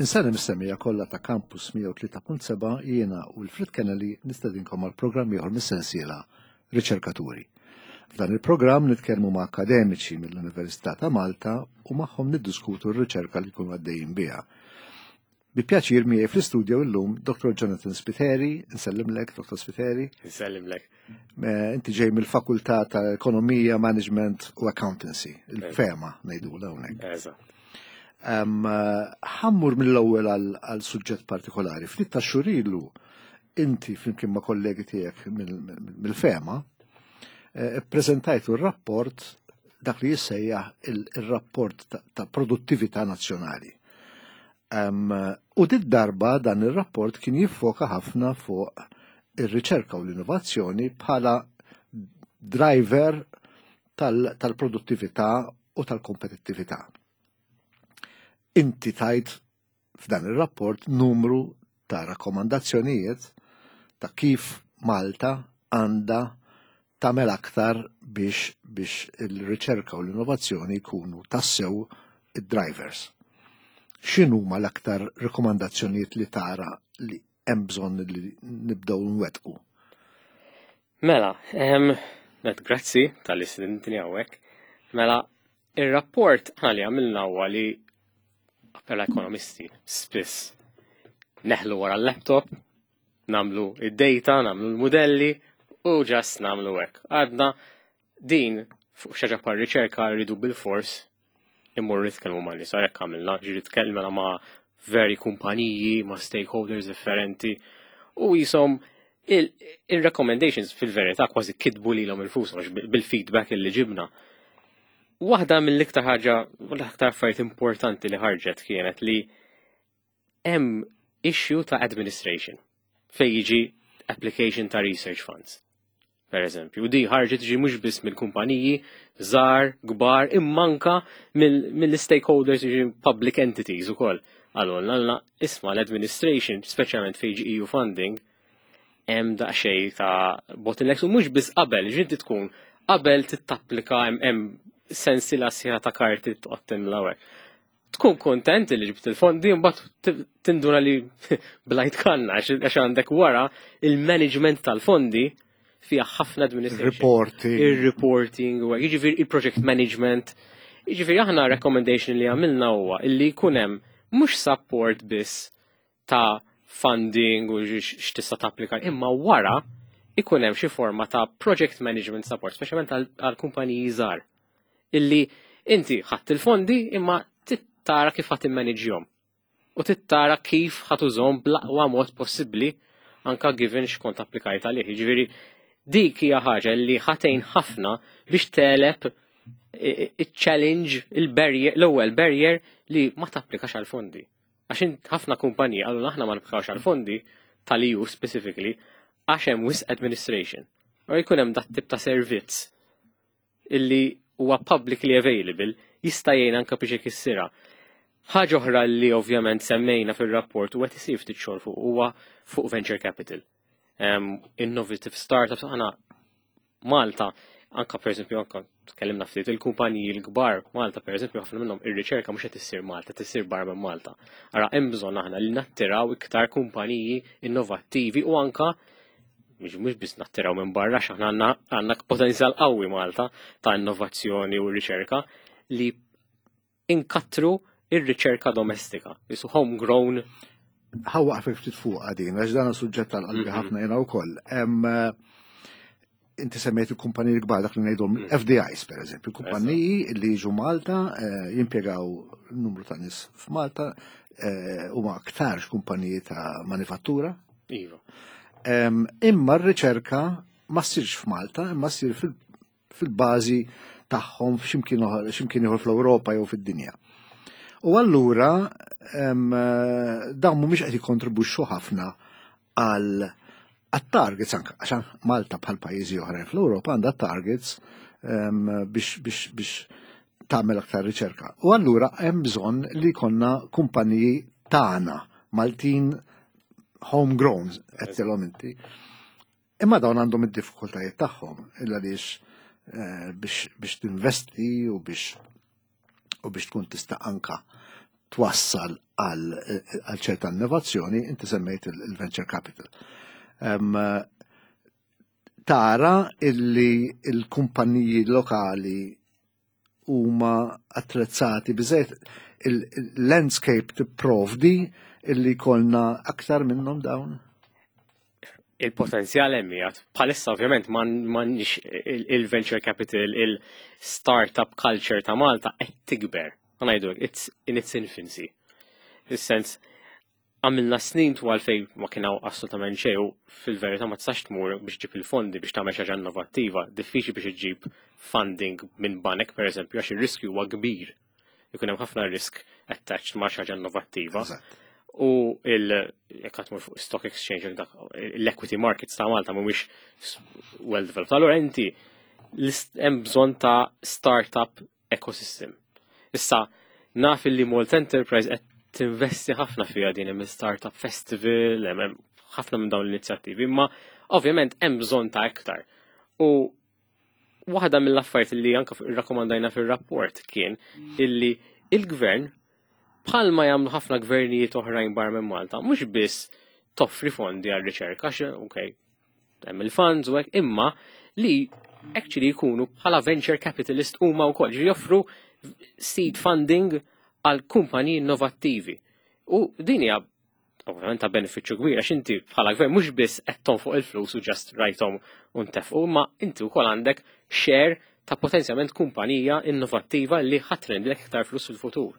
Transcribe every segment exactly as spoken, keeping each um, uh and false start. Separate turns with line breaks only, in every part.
Insellem is-semmiegħa kollha ta' Campus mija u tlieta punt sebgħa. Jiena Wilfred Kennedy nistedinkom għal programm ieħor mis-sensiela Riċerkaturi. F'dan il-programm nitkellmu ma' akademiċi mill-Università ta' Malta u magħhom niddiskutu r-riċerka li jkunu għaddejjin biha. Bi pjaċir miegħi fl-istudio illum Doktor Jonathan Spiteri. Nsellimlek, Doktor Spiteri.
Nsellimlek.
Inti ġej mill-Fakultà ta' Ekonomija, Management u Accountancy, il-FEMA ngħidu hawnhekk.
Eżatt.
Ħa mmur mill-ewwel għal suġġett partikolari. Ftit ta' xhur ilu inti flimkien ma' kollegi tiegħek mill-FEMA eh, preżentajtu r-rapport, dak li jissejjaħ il-rapport ta' produttività nazzjonali. U dit darba dan il-rapport kien jiffoka ħafna fuq ir-riċerka u l-innovazzjoni bħala driver tal-produttività u tal-kompetittività. Inti tajt f'dan il-rapport numru ta' rakkomandazzjonijiet ta' kif Malta għandha tagħmel aktar biex biex il-riċerka u l-innovazzjoni jkunu tassew id-drivers. X'inhuma l-aktar rekomandazzjonijiet li tara li hemm bżonn li nibdew nwettqu?
Mela, em, grazzi talli stedintni hawnhekk. Mela, il-rapport li għamilna huwa li bħala ekonomisti spiss neħlu wara l-laptop, nagħmlu id-data, nagħmlu l-modelli u just nagħmlu hekk. Għadna din fuq xi ħaġa bħal riċerka rridu bil-fors immur nitkellmu ma' nies, hekk għamilna, ġiri tkellmna ma' vari kumpaniji, ma' stakeholders differenti u jisom il-recommendations fil-verità kważi kitbu lilhom infushom bil-feedback li ġibna. Waħda mill-iktar ħaġa, l-iktar affarijiet importanti li ħarġet kienet li hemm issue ta' administration fej jiġi application ta' research funds. Per eżempju, di ħarġet ġi mhux biss mill-kumpaniji, żgħar, kbar, imma anka mill-stakeholders, ġi public entities ukoll. Għallu, għalna, isma' l-administration, speċjalment fej jiġi E U funding, hemm daqsxejn ta' bottlenecks u mhux biss qabel, ġinti tkun qabel tittapplika hemm sensiela sħiħa ta' karti toqgħod timla hekk. Tkun kontent li ġibt il-fondi, mbagħad tinduna li blajt kanna għax għandek wara il-management tal-fondi fiha ħafna administration.
Reporting.
Il-reporting, u jiġifieri il-project management. Jiġifieri aħna recommendation li għamilna huwa illi jkun hemm mhux support biss ta' funding u x'tista' tapplika, imma wara ikun hemm xi forma ta' project management support, speċjalment għal kumpaniji żgħar. Illi inti ħadd il-fondi imma tara kif ħadd immanagejhom. U tittara kif ħa tużahom bl-aqwa mod possibbli anka given x'kont applikajt għalih. Jiġifieri dik hija ħaġa li ħa tgħin ħafna biex tegħleb il-challenge, il-barrier, l-ewwel barrier li ma tapplikax għal fondi. Għax ħafna kumpaniji għallu aħna ma napplikawx għal fondi tal-E U specifically għax hemm wisq administration. U jkun hemm dat tip ta' servizz illi huwa publicly available jista' jgħin anke biex ikissirha. Ħaġa oħra li ovvjament semmejna fil-rapport u qed isir ftit xogħol fuq huwa fuq venture capital. Um, innovative startups, aħna Malta, anka per eżempju, anka tkellimna ftit il-kumpaniji l-kbar Malta, per eżempju, ħafna minnhom ir-riċerka mhux qed issir Malta, tissir barra minn Malta. Ara hemm bżonn aħna li nattiraw iktar kumpaniji innovattivi u anka mhux mhux biss nattiraw minn barra, x'aħna għandna għandna potenzjal qawwi Malta ta' innovazzjoni u riċerka, li inkattru ir-riċerka domestika, jisu homegrown.
Ħa waqfek ftit fuq għadin, għax dan suġġett tal-qalbi ħafna jena wkoll. Inti semmejt il-kumpaniji kbar, dak li ngħidhom F D Is per eżempju, kumpaniji li jiġu Malta, eh, jimpjegaw numru ta' nies f'Malta, eh, huma aktarx kumpaniji ta' manifattura.
Iva.
Imma r-riċerka ma ssirx f'Malta, imma ssir fil-bażi tagħhom f'ximkien ieħor fl-Ewropa jew fid-dinja. U allura dawn mhumiex qed jikkontribwixxu ħafna għal għat-targets anka, għax Malta bħal pajjiżi oħrajn fl-Ewropa għandha targets biex biex biex tagħmel aktar riċerka. U allura hemm bżonn li jkollna kumpaniji tagħna Maltin, homegrown, qed inti. Imma dawn għandhom id-diffikultajiet tagħhom, illa għaliex eh, biex biex tinvesti u biex u biex tkun tista' anka twassal għal ċerta innovazzjoni, inti semmejt il-venture capital. Tara illi il-kumpaniji lokali huma attrezzati biżejjed, il-landscape tipprovdi illi jkollna aktar minnhom dawn?
Il-potenzjal hemm qiegħed. Bħalissa ovvjament m'għandniex il-venture capital, il-startup culture ta' Malta qed tikber. Ngħidu it's in its infancy. Is-sens għamilna snin twal fej ma kien hawn assolutament xejn u fil-verità ma tistax tmur biex ġib il-fondi biex tagħmel xi ħaġa innovattiva, diffiċli biex iġġib funding minn banek, pereżempju, għax ir-riskju huwa kbir. Ikun hemm ħafna risk attached ma' xi ħaġa innovattiva. U il jekk tmur fuq stock exchange, dak l-equity markets ta' Malta mhumiex well developed. Allura inti hemm bżonn ta' startup ecosystem. Issa naf li Malta Enterprise qed tinvesti ħafna fiha din, hemm startup festival, hemm ħafna minn dawn l-inizjattivi, imma ovvjament hemm bżonn ta' iktar. U waħda mill-affarijiet li anke rrakkomandajna fir-rapport kien illi il-gvern, bħalma jagħmlu ħafna gvernijiet oħrajn barra minn Malta, mhux biss toffri fondi għal riċerka, ok, hemm il-funds u hekk, imma li actually jkunu bħala venture capitalist huma wkoll, joffru seed funding għal kumpaniji innovattivi. U din hija ovvjament ta' benefiċċju kbir għax inti bħala gvern mhux biss qed tonfoq il-flus u just rajthom u ntefqu, imma inti wkoll għandek share ta' potenzjalment kumpanija innovattiva li ħa trendilek iktar flus fil-futur.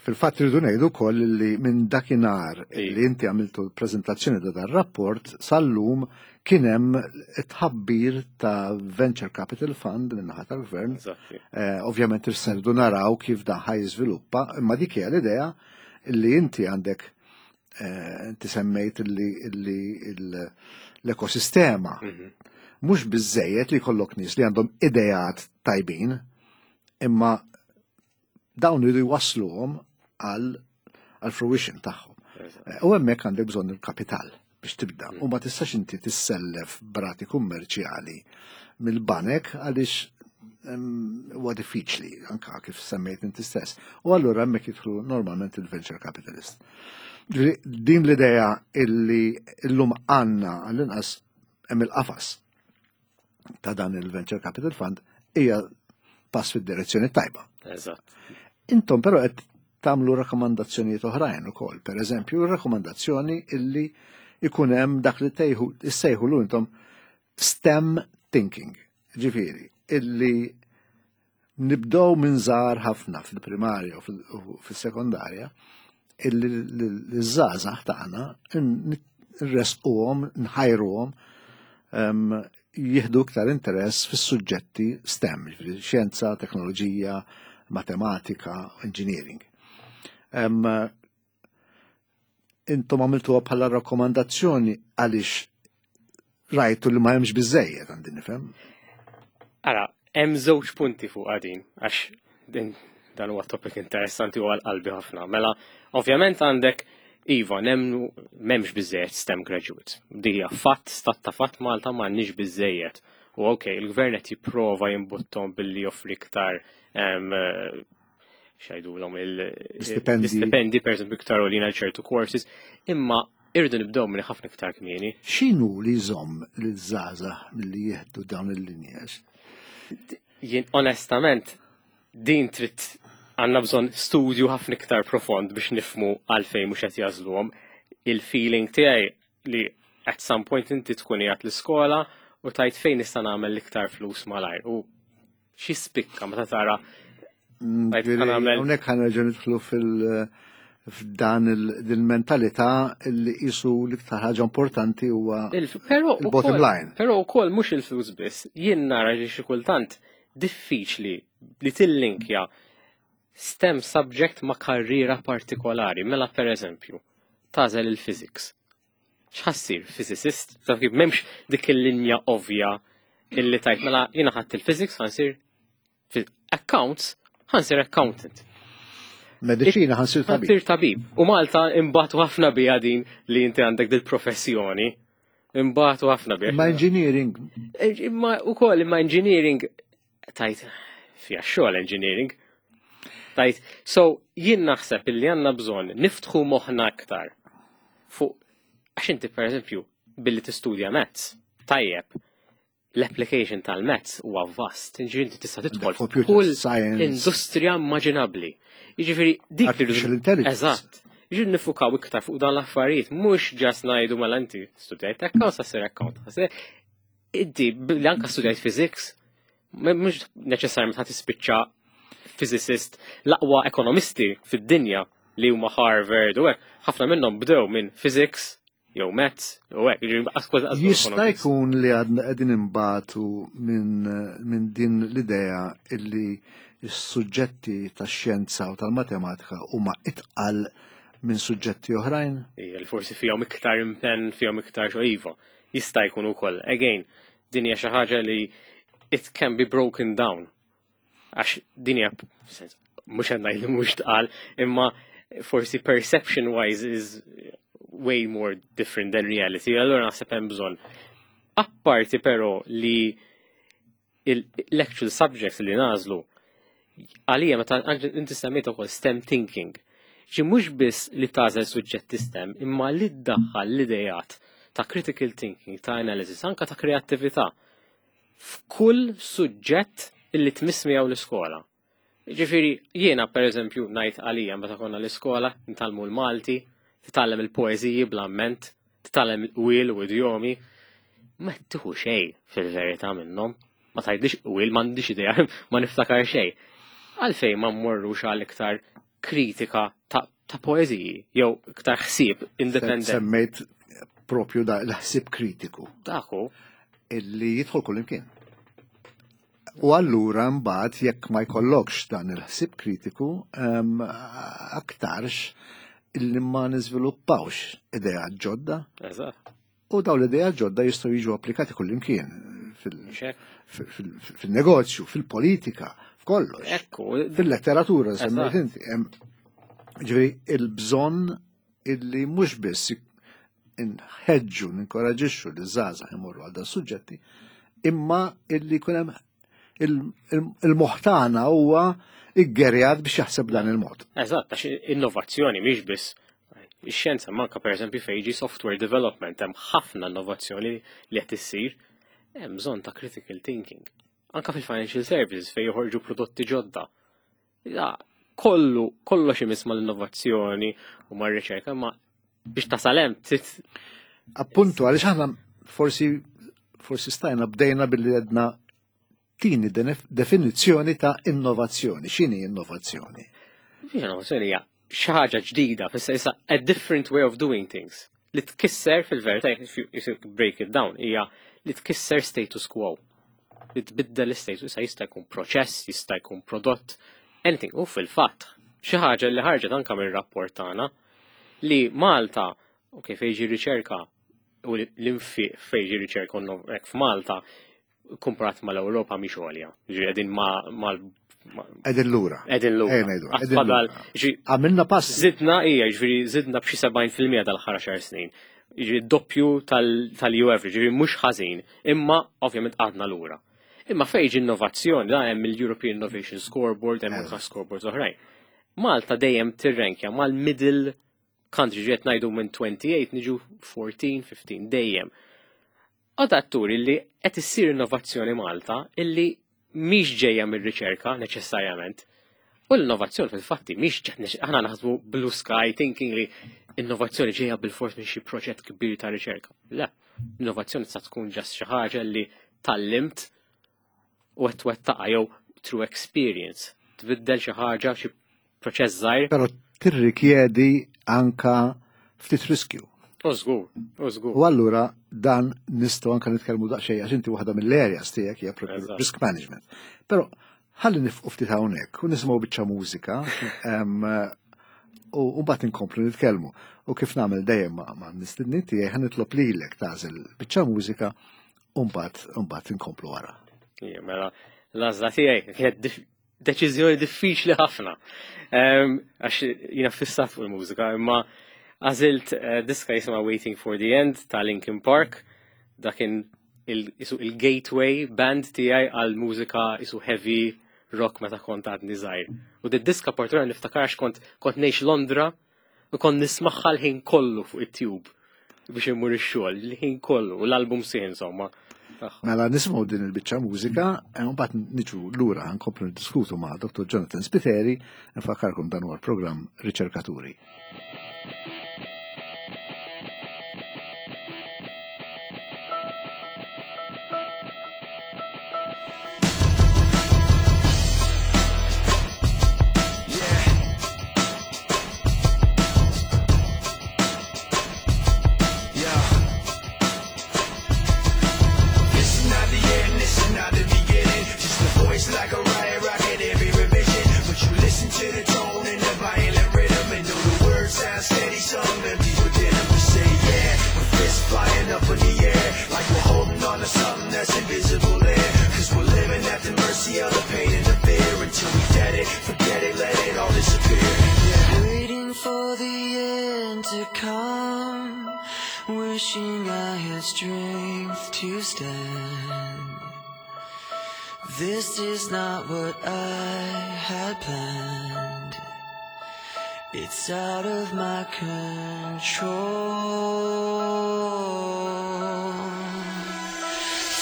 Fil-fatt rridu ngħidu wkoll li minn dakinhar li inti għamiltu l-preżentazzjoni ta' dan rapport sal-lum kien hemm tħabbir ta' Venture Capital Fund min-naħa tal-gvern. Eh, ovvjament irridu naraw kif dan ħa jiżviluppa, imma dik hija l-idea li inti għandek eh, inti semmejt li l-ekosistema. Mhm. Mhux biżejjed li jkollok nies li għandhom idejat tajbin, imma dawn iridu jwasluhom għal għal fruition tagħhom. Eh, u hemmhekk għandek bżonn il-kapital biex tibda. U ma tistax inti tissellef b'rati kummerċjali mill-banek għaliex huwa diffiċli anka kif semmejt inti stess. U allura hemmhekk jidħlu normalment il-venture capitalist. Din l-idea illi illum għandna għall-inqas hemm il-qafas ta' dan il-Venture Capital Fund hija pass fid-direzzjoni tajba.
Eżatt.
Intom però qed tagħmlu rakkomandazzjonijiet oħrajn ukoll. Per eżempju, rakkomandazzjoni illi ikun hemm dak li tejħu issejħulu intom STEM thinking. Ġifieri, illi nibdew minn żgħar ħafna fil-primarja u fil-sekondarja illi l-żgħażagħ tagħna nresquhom, nħajruhom jieħdu iktar interess fis-suġġetti STEM, ġifieri xjenza, teknoloġija, matematika, engineering. Um, intom għamiltuha bħala rakkomandazzjoni għaliex rajtu li ma hemmx biżejjed, għandi nifhem.
Ara, hemm żewġ punti fuq din, għax din dan huwa topic interessanti u għal qalbi ħafna. Mela, ovvjament għandek iva, nemnu m'hemmx biżejjed STEM graduates. Di hija fatt, stat ta' fatt, Malta m'għandniex biżejjed. U ok, il-gvern qed jipprova jimbuttom billi joffri iktar x'jgħidulhom
il-stipendi,
per eżempju, iktar għolin għal ċertu courses, imma irridu nibdew minn ħafna iktar kmieni.
X'inhu li jżomm liż-żgħażagħ milli jieħdu dawn il-linja?
Jien onestament din trid għandna bżonn studju ħafna iktar profond biex nifhmu għalfejn mhux qed jagħżluhom. Il-feeling tiegħi li at some point inti tkun qiegħed l-iskola u tgħid fejn nista' nagħmel l-iktar flus malajr. U xi spikka meta tara
Hawnhekk ħa nerġgħu nidħlu fil- f'dan il-mentalità li qisu l-iktar ħaġa importanti huwa il-bottom line.
Però wkoll mhux il-flus biss, jien nara li xi kultant diffiċli li tillinkja STEM subject ma' karriera partikolari. Mela, per eżempju, tagħżel il-physics. X'ħa ssir? Physicist? Taf kif, m'hemmx dik il-linja ovvja illi tgħid mela jiena ħadt il-physics, ħa nsir accounts, ħa nsir accountant.
Mediċina, ħa nsir tabib.
Ħa nsir tabib. U Malta imbatu ħafna bija din li inti għandek dil-professjoni. Imbatu ħafna bija.
Ma engineering.
Imma ukoll imma engineering tgħid fiha xogħol engineering. Tgħid, so Jien naħseb illi għandna bżonn niftħu moħħna aktar fuq, għax inti, per eżempju, billi tistudja maths, tajjeb, l-application tal-maths huwa vast, ġifieri inti tista' tidħol
Computer
kull
science.
industrija immaġinabbli. Jiġifieri dik li
Artificial intelligence.
Eżatt. Jiġifieri niffukaw iktar fuq dan l-affarijiet, mhux just ngħidu, "Mela inti studjajt account, sa ssir account." Inti billi anka studjajt physics, mhux neċessarjament ħa tispiċċa physicist. L-aqwa ekonomisti fid-dinja li huma Harvard u hekk, ħafna minnhom bdew minn physics jew maths u hekk, jiġifieri qas- qas-
Jista'
economists.
jkun li għadna qegħdin imbatu minn min din l-idea illi s-suġġetti tax-xjenza u tal-matematika huma itqal minn suġġetti oħrajn?
Ija, li forsi fihom iktar impenn, fihom iktar xo iva. Jista' jkun ukoll. Again, din hija xi ħaġa li it can be broken down. Għax din hija, sens, mhux qed ngħid li mhux tqal, imma forsi perception wise is way more different than reality. Allura naħseb hemm bżonn. Apparti però li l-actual subjects li nagħżlu, għalija meta inti semmejt ukoll STEM thinking. Ġi mhux biss li tagħżel suġġetti STEM, imma li ddaħħal l-idejat ta' critical thinking, ta' analysis, anka ta' kreattività f'kull suġġett illi tmiss miegħu l-iskola. Ġifieri, jiena, per eżempju, ngħid għalija meta konna l-iskola, nitgħallmu l-Malti, titgħallem il-poeżiji bl-amment, titgħallem il-qwiel u idjomi, ma tieħu xejn fil-verità minnhom. Ma tgħidlix qwiel, m'għandix idea, ma niftakar xejn. Għalfejn ma mmorrux għal iktar kritika ta', ta poeżiji, jew iktar ħsieb independent?
Semmejt propju da l-ħsieb kritiku
Daku,
illi jidħol kull imkien. U allura mbagħad jekk ma jkollokx dan il-ħsieb kritiku, em, aktarx illi ma niżviluppawx idea ġodda
eżatt.
u daw l-idea ġodda jistgħu jiġu applikati kull imkien fil-
Xek.
fil- fil- fil-negozju, fil-politika, f'kollox.
Ekku,
Fil-letteratura, semmejt
Eżatt.
inti. Hemm, ġifieri, il-bżonn illi mhux biss inħeġġu, ninkoraġixxu li żgħażagħ imorru għal dan suġġetti, imma illi jkun hemm il- il- il-moħħ tagħna huwa iggerjat biex jaħseb dan il-mod.
Eżatt, għax innovazzjoni mhix biss ix-xjenza, manka, per eżempju, fejn jiġi software development hemm ħafna innovazzjoni li qed issir, hemm bżonn ta' critical thinking. Anka fil-financial services fejn joħorġu prodotti ġodda. Ja, kollu, kollox imiss mal-innovazzjoni u mar-riċerka, ma biex tasal hemm trid
Appuntu, għaliex aħna forsi forsi stajna bdejna billi għedna tini denef- definizzjoni ta' innovazzjoni. X'inhi innovazzjoni?
Biex innovazzjoni hija xi ħaġa ġdida, fissa issa a different way of doing things. Li tkisser fil-verità, if you, if you break it down, hija li tkisser status quo. Li tbiddel l-status, issa jista' jkun proċess, jista' jkun prodott, anything. U fil-fatt, xi ħaġa li ħarġet anka mir-rapport tagħna li Malta, ok, fejn ġi riċerka u l-infiq fejn ġi riċerka u innov- hekk f'Malta kumparat mal-Ewropa mhix għolja. Ġi qegħdin ma' mal
Qegħdin lura.
qegħdin lura.
Ejja ngħidu, qegħdin
Fadal,
lura.
ġi
Għamilna pass.
Zidna, ija, ġifieri zidna b'xi sebgħin fil-mija dal-aħħar għaxar snin. Ġifieri doppju tal-E U average, ġifieri mhux ħażin, imma ovvjament għadna lura. Imma fejn ġi innovazzjoni, da hemm il-European Innovation Scoreboard, hemm anka scoreboards oħrajn. Malta dejjem tirrenkja mal-middle country, ġiet ngħidu minn twenty-eight niġu fourteen, fifteen, dejjem. Għada turi li qed issir innovazzjoni Malta illi mhix ġejja mir-riċerka neċessarjament. U l-innovazzjoni fil-fatti mhix ġet, aħna naħsbu blue sky thinking li innovazzjoni ġejja bil-fors minn xi proġett kbir ta' riċerka. Le, innovazzjoni tista' tkun just xi ħaġa li tgħallimt u qed twettaqha jew through experience. Tbiddel xi ħaġa, xi proċess żgħir.
Però tirrikjedi anka ftit riskju.
U żgur, u żgur.
U allura dan nistgħu anka nitkellmu daqsxejn għax inti waħda mill-areas tiegħek hija propju
Eżatt.
risk management. Però ħalli nieqfu ftit hawnhekk u nisimgħu biċċa mużika em, u u mbagħad inkomplu nitkellmu. U kif nagħmel dejjem ma' ma' mistednin tiegħi, ħa nitlob lilek tagħżel biċċa mużika u mbagħad u mbagħad inkomplu wara.
Ija, mela, l-għażla tiegħi kienet dif- deċiżjoni diffiċli ħafna. Em, Għax jiena fissat fuq il-mużika, imma għażilt eh, diska jisimha Waiting for the End ta' Linkin Park. Dak kien il- isu il-gateway band tiegħi għal mużika isu heavy rock meta kont għadni żgħir. U di diska partikolari niftakar kont kont ngħix Londra u kont nismagħha l-ħin kollu fuq it-tube biex immur ix-xogħol, l-ħin kollu, u l-album sħiħ insomma.
Mela nisimgħu din il-biċċa mużika, e mbagħad niġu lura nkomplu niddiskutu ma' Dottor Jonathan Spiteri, nfakkarkom dan huwa l-programm Riċerkaturi.
Like a riot rocket every revision, but you listen to the tone and the violent rhythm and know the words sound steady, some empty within them. We say yeah, with fists flying up in the air, like we're holding on to something that's invisible there. 'Cause we're living at the mercy of the pain and the fear until we dead it, forget it, let it all disappear. Yeah.
Waiting for the end to come, wishing I had strength to stand. This is not what I had planned. It's out of my control.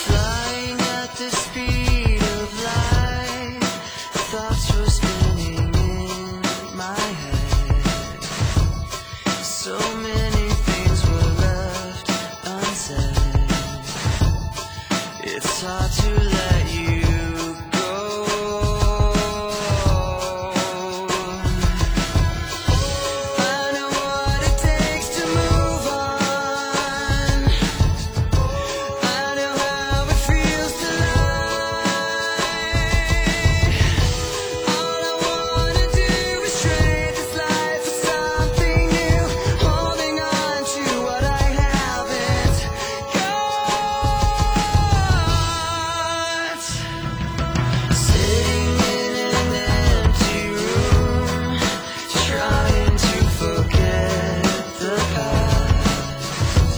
Flying at the speed of light, thoughts were spinning in my head. So many things were left unsaid. It's hard to let you go. I know what it takes to move on. I know how it feels to lie. All I wanna do is trade this life for something new, holding on to what I haven't got. Sitting in an empty room, trying to forget the past.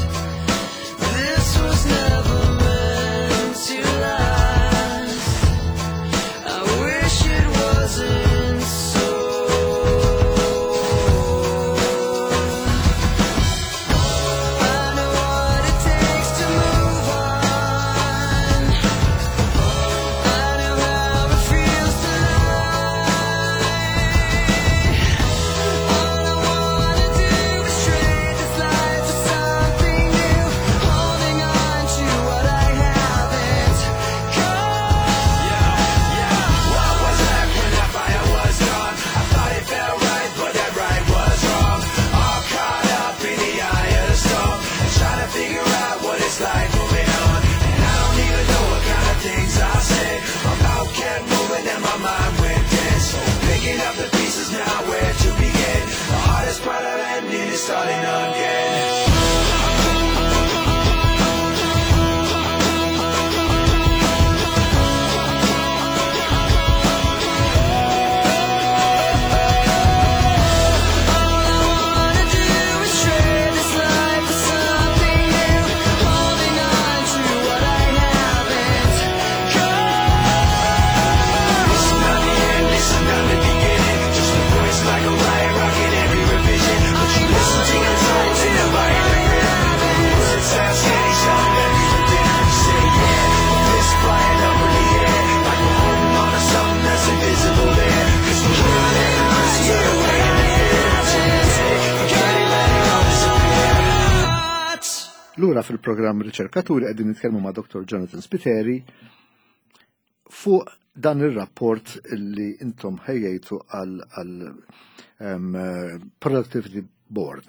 This was never meant to last. I wish it wasn't so. I know what it takes to move on. I know how it feels to lie. All I wanna do is trade this life for something new, holding on to what I haven't got.
Yeah, what was left when that fire was gone? I thought it felt right, but that right was wrong. All caught up in the eye of the storm and trying to figure out what it's like moving on. And I don't even know what kind of things I said. My mouth kept moving and my mind went dead. So picking up the pieces now, where to begin? The hardest part of ending is starting again.
All I wanna do is trade this life for something new, holding on to what I haven't got.
This is not the end, this is not the beginning. Just a voice like a riot rocking every revision. But you listen to the tones and the violent rhythm. Words sound steady, sound empty within. We say yeah, with fists flying up in the air, like we're holding on to something that's invisible there. 'Cause we're living at the mercy of the pain and the fear. Until we dead it, forget it, let it all disappear.
Lura fil-programm Riċerkaturi qegħdin nitkellmu ma' Dottor Jonathan Spiteri fuq dan ir-rapport li intom ħejjejtu għal, għal um, Productivity Board.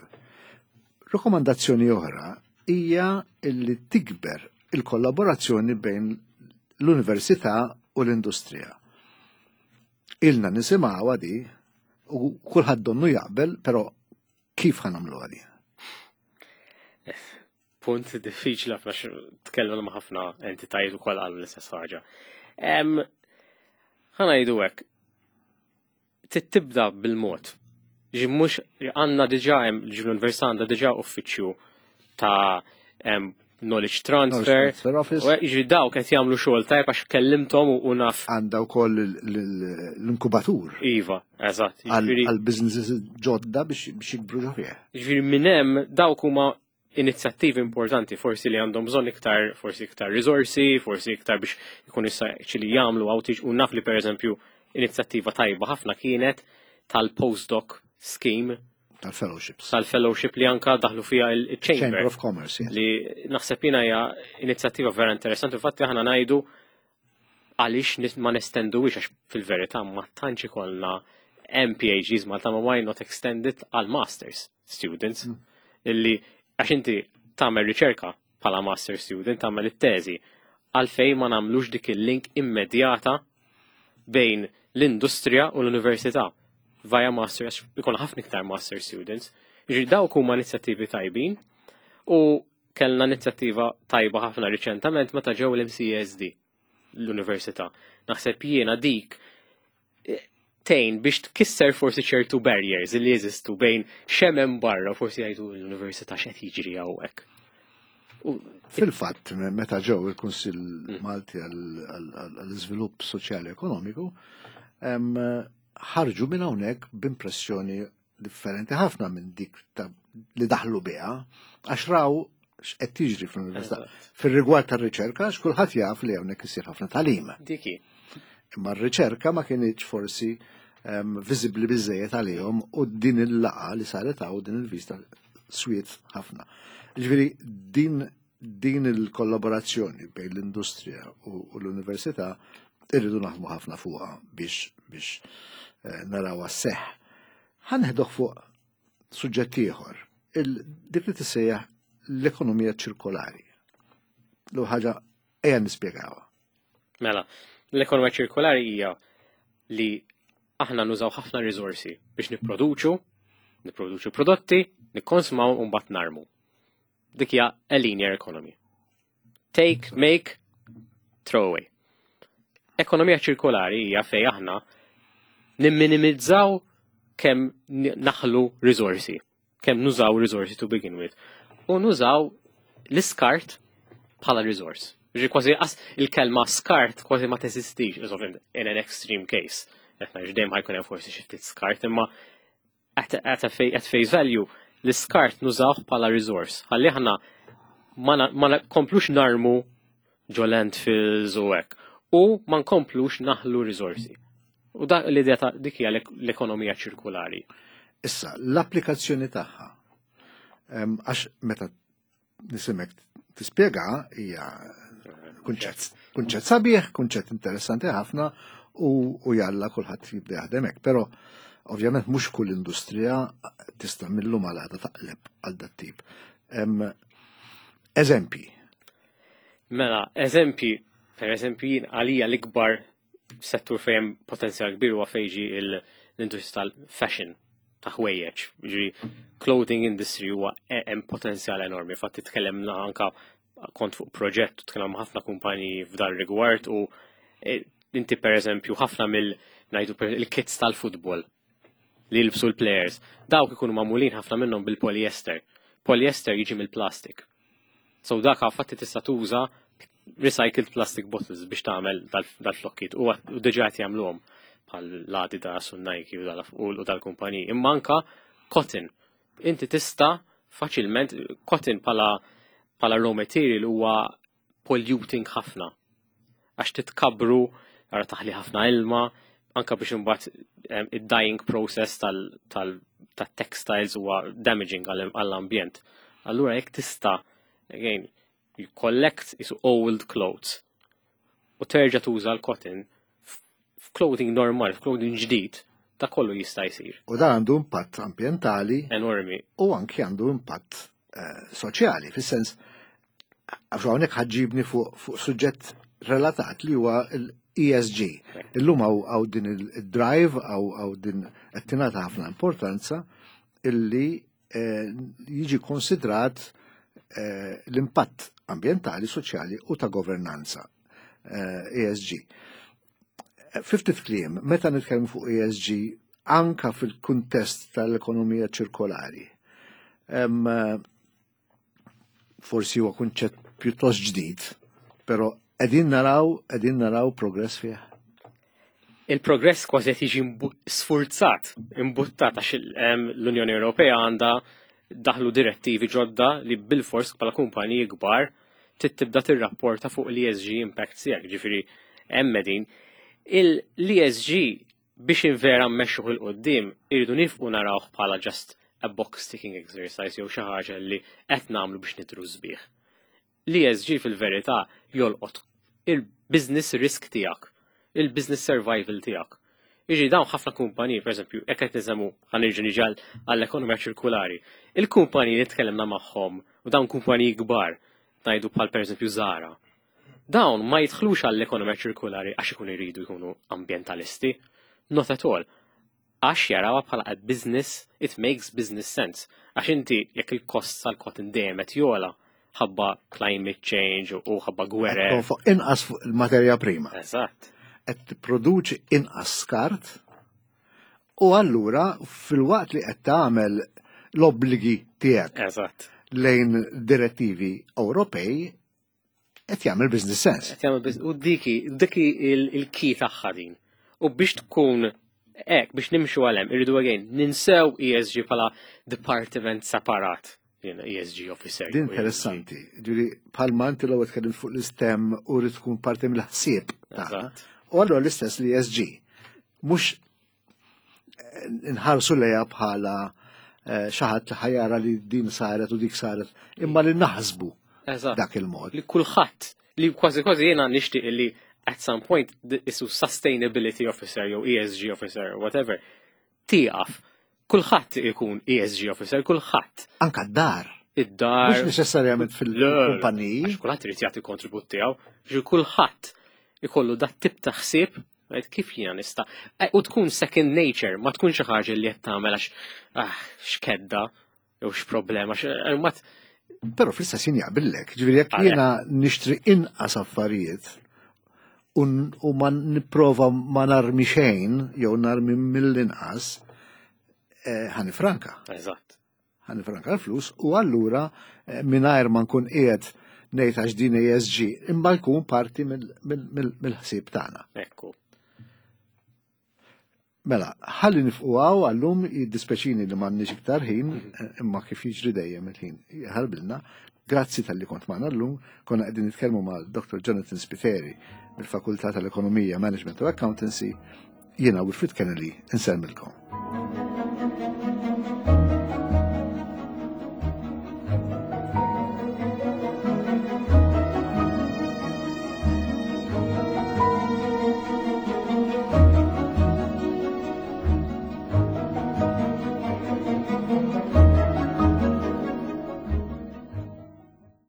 Rekomandazzjoni oħra hija li tikber il-kollaborazzjoni bejn l-università u l-industrija. Ilna nisimgħuha di u kulħadd donnu jaqbel, però kif ħa nagħmluha di?
Punt diffiċli ħafna, tkellmu ma' ħafna entitajiet ukoll qalu l-istess ħaġa. Em, Ħa ngħidu hekk, tibda bil-mod. Ġi mhux għandna diġà hemm, ġi l-università għandha diġà uffiċċju ta' em, Knowledge Transfer.
Transfer Office.
U jiġri dawk qed jagħmlu xogħol tajb għax kellimthom u- u naf.
Għandha wkoll l- l- l-inkubatur
Iva, eżatt.
għal
Jiġifieri
għal businesses ġodda biex biex jikbru ġo fih.
Jiġifieri minn hemm dawk huma inizjattivi importanti, forsi li għandhom bżonn iktar, forsi iktar risorsi, forsi iktar biex ikun issa li jagħmlu outreach. U naf li, pereżempju, inizjattiva tajba ħafna kienet tal-postdoc scheme,
Tal-fellowships.
Tal-fellowship li anka daħlu fiha il-Chamber.
Chamber of Commerce, yes.
Li naħseb jiena hija inizjattiva vera interessanti. Infatti aħna ngħidu għaliex nis- ma nestenduwix, għax fil-verità ma tantx ikollna M P H Ds Malta, ma why not extend it għal masters students, illi għax inti tagħmel riċerka bħala master student, tagħmel it-teżi, għalfejn ma nagħmlux dik il-link immedjata bejn l-industrija u l-università via master, għax ikun ħafna iktar master students? Jiġifieri dawk huma inizjattivi tajbin u kellna inizjattiva tajba ħafna riċentament meta ġew l-M C A S D l-università. Naħseb jiena dik eh, tgħin biex tkisser forsi ċertu barriers li jeżistu bejn x'hemm barra, forsi jgħidu l-università, x'qed jiġri hawnhekk. U
Fil-fatt, meta ġew il-Kunsill Malti għall-Iżvilupp Soċjali Ekonomiku, em, ħarġu minn hawnhekk b'impressjoni differenti ħafna minn dik ta' li daħlu biha, għax raw x'qed tiġri fl-università. Fir-rigward tar-riċerka, għax kulħadd jaf li hawnhekk isir ħafna tagħlim.
Diki.
Imma r-riċerka ma kienx forsi um, viżibbli biżejjed għalihom u din il-laqgħa li saret hawn, din il-vista swiet ħafna. Ġifieri din din il-kollaborazzjoni bejn l-industrija u, u l-università irridu naħdmu ħafna fuqha biex biex eh, narawha sseħħ. Ħa neħdok fuq suġġett ieħor, il- dik li tissejjaħ l-ekonomija ċirkolari. L ħaġa ejja nispjegawha.
Mela, l-ekonomija ċirkolari hija li aħna nużaw ħafna risorsi biex nipproduċu, nipproduċu prodotti, nikkonsmaw u mbagħad narmu. Dik hija a linear economy. Take, make, throw away. Ekonomija ċirkolari hija fej aħna nimminimizzaw kemm ni- naħlu risorsi, kemm nużaw risorsi to begin with. U nużaw l-iskart bħala resource. Ġi kważi as il-kelma skart kważi ma teżistix, ovvjament in an extreme case. Qed ngħid dejjem ħa jkun hemm forsi xi ftit skart, imma at, at, a fa- at face value l-iskart nużawh bħala resource. Ħalli aħna ma na- ma nkomplux narmu ġo landfills u hekk. U ma nkomplux naħlu risorsi. U da l-idea ta' dik hija l- l-ekonomija ċirkulari.
Issa, l-applikazzjoni tagħha. Em, Għax meta nisimek tispjega hija kunċett kunċett sabiħ, kunċett interessanti ħafna u, u jalla kulħadd jibda jaħdem hekk, però ovvjament mhux kull industrija tista' millum għal għada taqleb għal dat tip. Em, Eżempji.
Mela, eżempji, per eżempju, jien għalija l-ikbar settur fejn potenzjal kbir huwa fejn ġi il- l-industrija tal-fashion, ta' ħwejjeġ. Ġi clothing industry huwa e- hemm potenzjal enormi. Fatti tkellemna anka, kont fuq proġett u tkellem ma' ħafna kumpaniji f'dar rigward u e, inti per eżempju ħafna mill ngħidu per- il-kits tal-futbol li jilbsu l-players, dawk ikunu magħmulin ħafna minnhom bil-polyester. Polyester jiġi mill-plastik. So dak fatti tista' tuża recycled plastic bottles biex tagħmel dal-flokkiet u u diġà qed jagħmluhom bħal l-Adidas u Nike u dal- u dal-kumpaniji. Imma anka cotton. Inti tista' faċilment cotton bħala bħala raw material huwa polluting ħafna. Għax titkabru, ara taħli ħafna ilma, anka biex imbagħad em, id-dyeing process tal- tal- tat-textiles huwa damaging għall- għall-ambjent. Allura jekk tista' again, you collect isu old clothes u terġa' tuża l-cotton f'clothing normal, f'clothing ġdid, ta' kollu jista' jsir.
U dan għandu impatt ambjentali
Enormi.
u anki għandu impatt eh, soċjali, fis-sens għax hawnhekk ħa ġġibni fuq fuq suġġett relatat li huwa l-E S G. Illum hawn hawn din il-drive, hawn hawn din qed tingħata ħafna importanza illi eh, jiġi konsidrat eh, l-impatt ambjentali, soċjali u ta' governanza, eh, E S G. Fi ftit kliem, meta nitkellmu fuq E S G anka fil-kuntest tal-ekonomija ċirkolari, em, forsi huwa kunċett pjuttost ġdid, però qegħdin naraw qegħdin naraw progress fih.
Il-progress kważi qed jiġi mbu- sfurzat, imbuttat għax il- em, l-Unjoni Ewropea għandha daħlu direttivi ġodda li bil-fors bħala kumpaniji kbar trid tibda tirrapporta fuq l-E S G impact tiegħek, ġifieri hemm din. Il-E S G biex invera mmexxuh 'il quddiem irridu nieqfu narawh bħala just a box ticking exercise jew xi ħaġa li qed nagħmlu biex nidhru sbieħ. L-E S G fil-verità jolqot il-business risk tiegħek, il-business survival tiegħek. Iġi dawn ħafna kumpaniji, per eżempju, jekk qed nisemmu ħa nerġa' niġi għall-ekonomija ċirkulari. Il-kumpaniji li tkellimna magħhom u dawn kumpaniji kbar, ngħidu bħal per eżempju Zara. Dawn ma jidħlux għall-ekonomija ċirkulari għax ikunu jridu jkunu ambientalisti. Not at all. Għax jarawha bħala a business, it makes business sense. Għax inti jekk il-kost tal-cotton dejjem qed jogħla ħabba climate change u ħabba gwerer.
Tonfoq inqas fuq il-materja prima.
Eżatt.
Qed tipproduċi inqas skart u allura fil-waqt li qed tagħmel l-obbligi tiegħek
Eżatt.
lejn direttivi Ewropej, qed jagħmel business sense.
Qed jagħmel biz- U diki, diki il-key tagħha din. U biex tkun hekk, biex nimxu għalem, irridu again, ninsew E S G bħala department separat. Jiena E S G officer.
Din
U E S G.
interessanti. Ġifieri bħalma inti l-ewwel tkellim fuq l-istem u rrid tkun parti mill-ħsieb tagħna.
Eżatt.
U allura l-istess li E S G. Mhux eh, nħarsu lejha bħala eh, xi ħadd li ħa jara li din saret u dik saret, imma li naħsbu
Eżatt.
dak il-mod.
Li kulħadd, li kważi kważi jiena nixtieq li at some point the- isu sustainability officer jew E S G officer, whatever, tieqaf. Kulħadd ikun E S G officer, kulħadd.
Anka d-dar.
Id-dar.
Mhux neċessarjament fil-kumpaniji.
Għax kulħadd irid jagħti kontribut tiegħu, ġi kulħadd ikollu dat tip ta' ħsieb, għid kif jiena nista'. Eh, U tkun second nature, ma tkun xi ħaġa li qed tagħmel għax ah, x'kedda jew x'problema, x- eh, ma t-
Però fl-istess jien jaqbillek, ġifieri jekk
Għalhekk.
jiena nixtri inqas affarijiet u n- u ma nipprova ma narmi xejn jew narmi mill-inqas, eh, ħa nifranka.
Eżatt.
Ħa nifranka l-flus u allura eh, mingħajr ma nkun qiegħed ngħid għax din E S G, imma jkun parti mill- mill- mill- mill-ħsieb tagħna.
Ekku.
Mela, ħalli nieqfu hawn għallum. Jiddispjaċini li m'għandniex iktar ħin, imma kif jiġri dejjem il-ħin ħarbilna. Grazzi talli kont magħna llum, konna qegħdin nitkellmu ma' Doctor Jonathan Spiteri mill-Fakultà tal-Ekonomija, Management u Accountancy. Jiena Wilfred Kennedy, insellmilkom.